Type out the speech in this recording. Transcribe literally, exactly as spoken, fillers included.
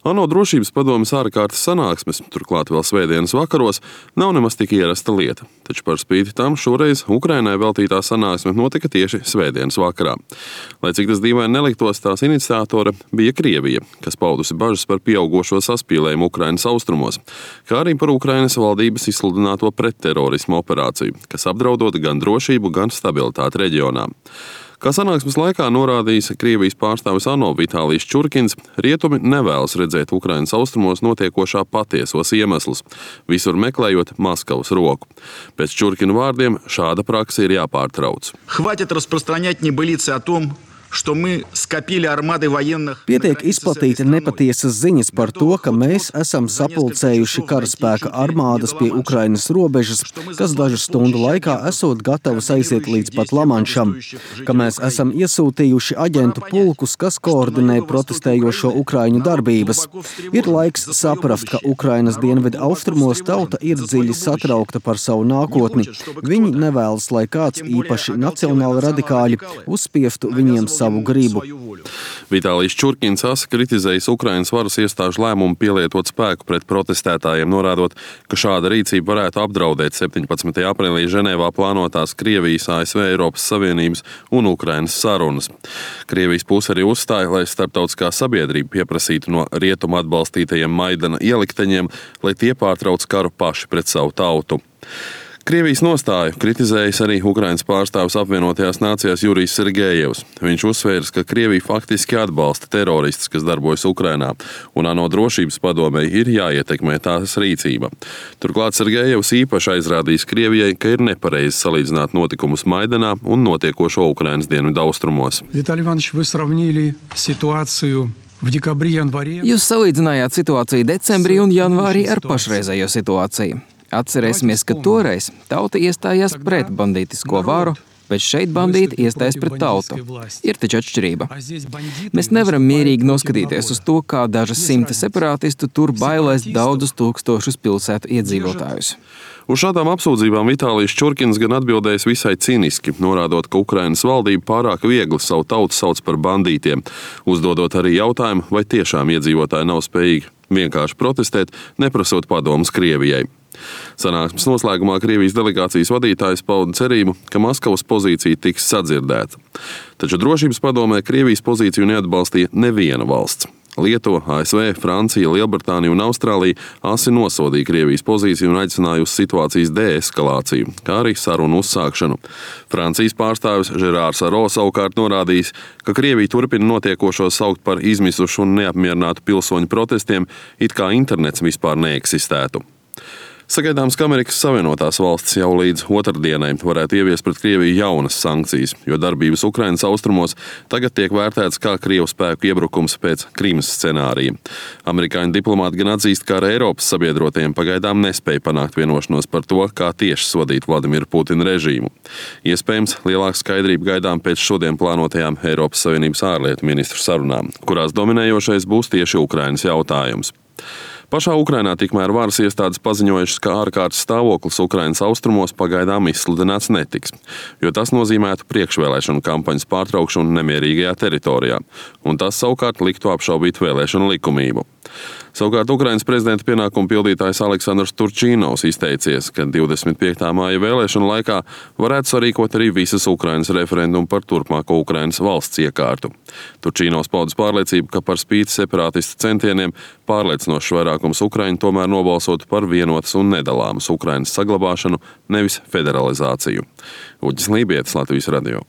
ANO drošības padomes ārkārtas sanāksmes, turklāt vēl svētdienas vakaros, nav nemaz tik ierasta lieta. Taču par spīti tam šoreiz Ukrainai veltītā sanāksme notika tieši svētdienas vakarā. Lai cik tas dīvaini neliktos, tās iniciatore bija Krievija, kas paudusi bažas par pieaugošo saspīlējumu Ukrainas austrumos, kā arī par Ukrainas valdības izsludināto pretterorismu operāciju, kas apdraudot gan drošību, gan stabilitāti reģionā. Kā sanāksmes laikā norādījis Krievijas pārstāvis ANO Vitālijs Čurkins, rietumi nevēlas redzēt Ukrainas austrumos notiekošā patiesos iemeslus, visur meklējot Maskavas roku. Pēc Čurkina vārdiem šāda praksa ir jāpārtrauc. Хватит распространять небылицы о том, что мы скопили армады военных. Pietiek izplatīt nepatiesas ziņas par to, ka mēs esam sapulcējuši karaspēka armādas pie Ukrainas robežas, kas dažu stundu laikā esot gatavas aiziet līdz pat Lamanšam, ka mēs esam iesūtījuši aģentu pulkus, kas koordinē protestējošo Ukraiņu darbības. Ir laiks saprast, ka Ukrainas dienvidu austrumos tauta ir dziļi satraukta par savu nākotni. Viņi nevēlas, lai kāds īpaši nacionāli radikāļi uzspiestu viņiem savu gribu. Vitālijs Čurkins asa kritizējis Ukrainas varas iestāžu lēmumu pielietot spēku pret protestētājiem, norādot, ka šāda rīcība varētu apdraudēt septiņpadsmitajā aprīlī Ženēvā plānotās Krievijas, A S V, Eiropas Savienības un Ukrainas sarunas. Krievijas puse arī uzstāja, lai starptautiskā sabiedrība pieprasītu no rietumu atbalstītajiem Maidana ielikteņiem, lai tie pārtrauc karu paši pret savu tautu. Krievijas nostāju kritizējis arī Ukrainas pārstāvis apvienotajās nācijās Jurijs Sergejevs. Viņš uzsvērs, ka Krievija faktiski atbalsta teroristus, kas darbojas Ukrainā, un ANO drošības padomei ir jāietekmē tās rīcība. Turklāt Sergejevs īpaši aizrādījis Krievijai, ka ir nepareizi salīdzināt notikumus Maidanā un notiekošo Ukrainas dienvidu austrumos. Виталий Иванович, вы сравнили ситуацию в декабре-январе. Jūs salīdzinājāt situāciju decembrī un janvārī ar pašreizējo situāciju. Atcerēsimies, ka toreiz tauta iestājās pret bandītisko varu, bet šeit bandīti iestājas pret tautu. Ir taču atšķirība. Mēs nevaram mierīgi noskatīties uz to, kā dažas simti separātistu tur bailēs daudzus tūkstošus pilsētu iedzīvotājus. Uz šādām apsūdzībām Vitālijs Čurkins gan atbildējis visai cīniski, norādot, ka Ukrainas valdība pārāk viegli savu tautu sauc par bandītiem, uzdodot arī jautājumu, vai tiešām iedzīvotāji nav spējīgi vienkārši protestēt, neprasot padomus Krievijai. Sanāksmes noslēgumā Krievijas delegācijas vadītājs pauda cerību, ka Maskavas pozīcija tiks sadzirdēta. Taču drošības padomē Krievijas pozīciju neatbalstīja neviena valsts. Lietuva, A S V, Francija, Lielbritānija un Austrālija asi nosodīja Krievijas pozīciju un aicināja uz situācijas deeskalāciju, kā arī sarunu uzsākšanu. Francijas pārstāvis Žerārs Aro savukārt norādījis, ka Krievija turpina notiekošo saukt par izmisušu un neapmierinātu pilsoņu protestiem, it kā internets vispār neeksistētu. Sagaidāms, ka Amerikas Savienotās valstis jau līdz otrdienai varētu ieviest pret Krieviju jaunas sankcijas, jo darbības Ukrainas austrumos tagad tiek vērtēts kā Krievu spēku iebrukums pēc Krimas scenārija. Amerikāņu diplomāti gan atzīst, ka ar Eiropas sabiedrotajiem pagaidām nespēja panākt vienošanos par to, kā tieši sodīt Vladimiru Putina režīmu. Iespējams, lielāka skaidrība gaidām pēc šodien plānotajām Eiropas Savienības ārlietu ministru sarunām, kurās dominējošais būs tieši Ukrainas jautājums. Pašā Ukrainā tikmēr varas iestādes paziņojušas, ka ārkārtas stāvoklis Ukrainas austrumos pagaidām izsludināts netiks, jo tas nozīmētu priekšvēlēšanu kampaņas pārtraukšanu nemierīgajā teritorijā, un tas savukārt liktu apšaubīt vēlēšanu likumību. Savukārt Ukrainas prezidenta pienākumu pildītājs Aleksandrs Turčīnovs izteicies, ka divdesmit piektā māja vēlēšanu laikā varētu sarīkot arī visas Ukrainas referendumu par turpmāko Ukrainas valsts iekārtu. Turčīnovs paudis pārliecību, ka par spīti separātistu centieniem pārliecinošs vairākums Ukraiņu tomēr nobalsotu par vienotas un nedalāmas Ukrainas saglabāšanu, nevis federalizāciju. Uģis Lībietis, Latvijas radio.